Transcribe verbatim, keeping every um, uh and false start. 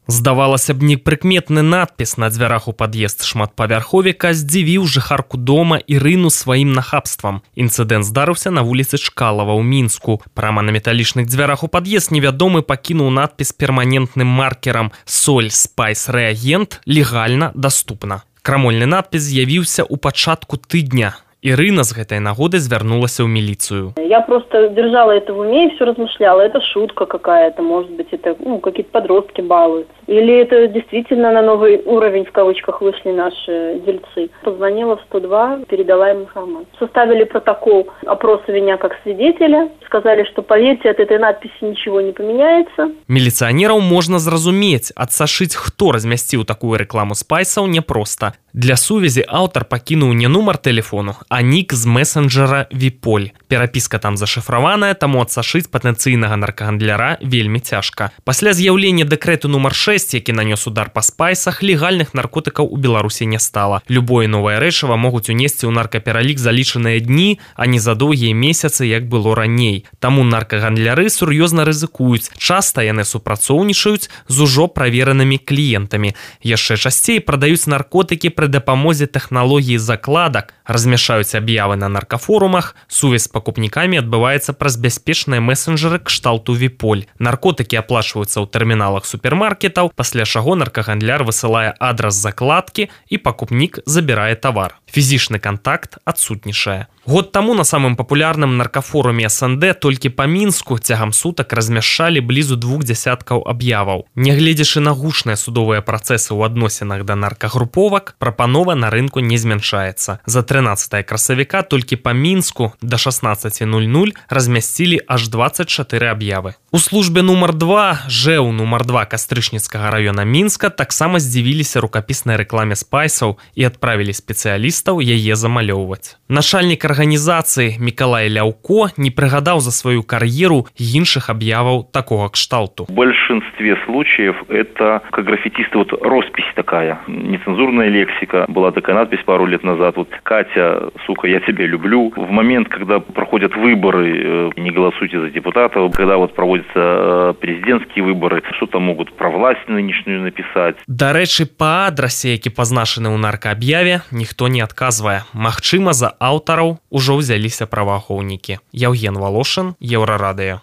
Здавалася б, непрыкметны надпіс на дзвярах у пад'езд шматпавярховіка здзівіў жыхарку дома Ірыну сваім нахабствам. Інцыдэнт здарыўся на вуліцы Чкалава ў Мінску. Прама на металічных дзвярах у пад'езд невядомы пакінуў надпіс перманентным маркерам «Соль Спайс Рэагент легальна даступна». Крамольны надпіс з'явіўся ў пачатку тыдня. Ирина с гэтай нагоды звярнулася ў милицию. Я просто держала это в уме и все размышляла. Это шутка какая-то, может быть, это ну, какие-то подростки балуются. Или это действительно на новый уровень, в кавычках, вышли наши дельцы. Позвонила в сто два, передала им информацию. Составили протокол опроса меня как свидетеля. Сказали, что, поверьте, от этой надписи ничего не поменяется. Милиционеров можно зразумець, адсашыць, хто размясціў такую рекламу спайсаў, непросто. Для сувязі аўтар пакінуў не нумар тэлефону, а нік з месенджера Виполь. Перапіска там зашифраваная, таму адсашыць патэнцыйнага наркагандляра вельмі цяжка. Пасля з'яўлення дэкрэту нумар шэсць, які нанёс удар па спайсах, легальных наркотыкаў у Беларусі не стала. Любое новае рэчыва могуць унесці ў наркапералік за лічаныя дні, а не за доўгія месяцы, як было раней. Таму наркагандляры сур'ёзна рызыкуюць. Часта яны супрацоўнічаюць з ужо праверанымі кліентамі. Яшчэ часцей прадаюць наркотыкі пры дапамозе тэхналогіі закладак, размяшаюць аб'явы на наркафорумах, сувязь з пакупнікамі адбываецца праз бяспечныя месенджеры кшталту Виполь. Наркотыкі аплачваюцца ў тэрміналах супермаркетаў, пасля чаго наркагандляр высылае адрас закладкі і пакупнік забірае тавар. Фізічны кантакт адсутнічае. Год таму на самым папулярным наркафоруме эс эн дэ толькі па Мінску цягам сутак размяшчалі блізу двух дзясяткаў аб'яваў. Нягледзячы на гучныя судовыя працэсы ў адносінах да наркагруповак, прапанова на рынку не змяншаецца. За трынаццатае красавіка толькі па Мінску да шаснаццаці нуль-нуль размясцілі аж дваццаць чатыры аб'явы. У службе нумар два, ЖЭУ нумар два Кастрычніцкага раёна Мінска таксама здзівіліся рукапіснай рэкламе спайсаў і адправілі спецыялістаў яе замалёўваць. Начальнік арганізацыі Мікалай Ляўко не прыгадаў за сваю кар'еру іншых аб'яваў такога кшталту. В большинстве случаев это как граффитисты, вот роспись такая, нецензурная лексика. Была такая надпись пару лет назад, вот «Катя, сука, я тебя люблю». В момент, когда проходят выборы, не голосуйте за депутатов, когда вот проводятся президентские выборы, что-то могут про власть нынешнюю написать. Дарэчы, па адрасе, які пазначаны ў наркааб'яве, ніхто не адказвае. Магчыма, за аўтараў ужо ўзяліся праваахоўнікі. Яўген Волошин, Еўрарадыё.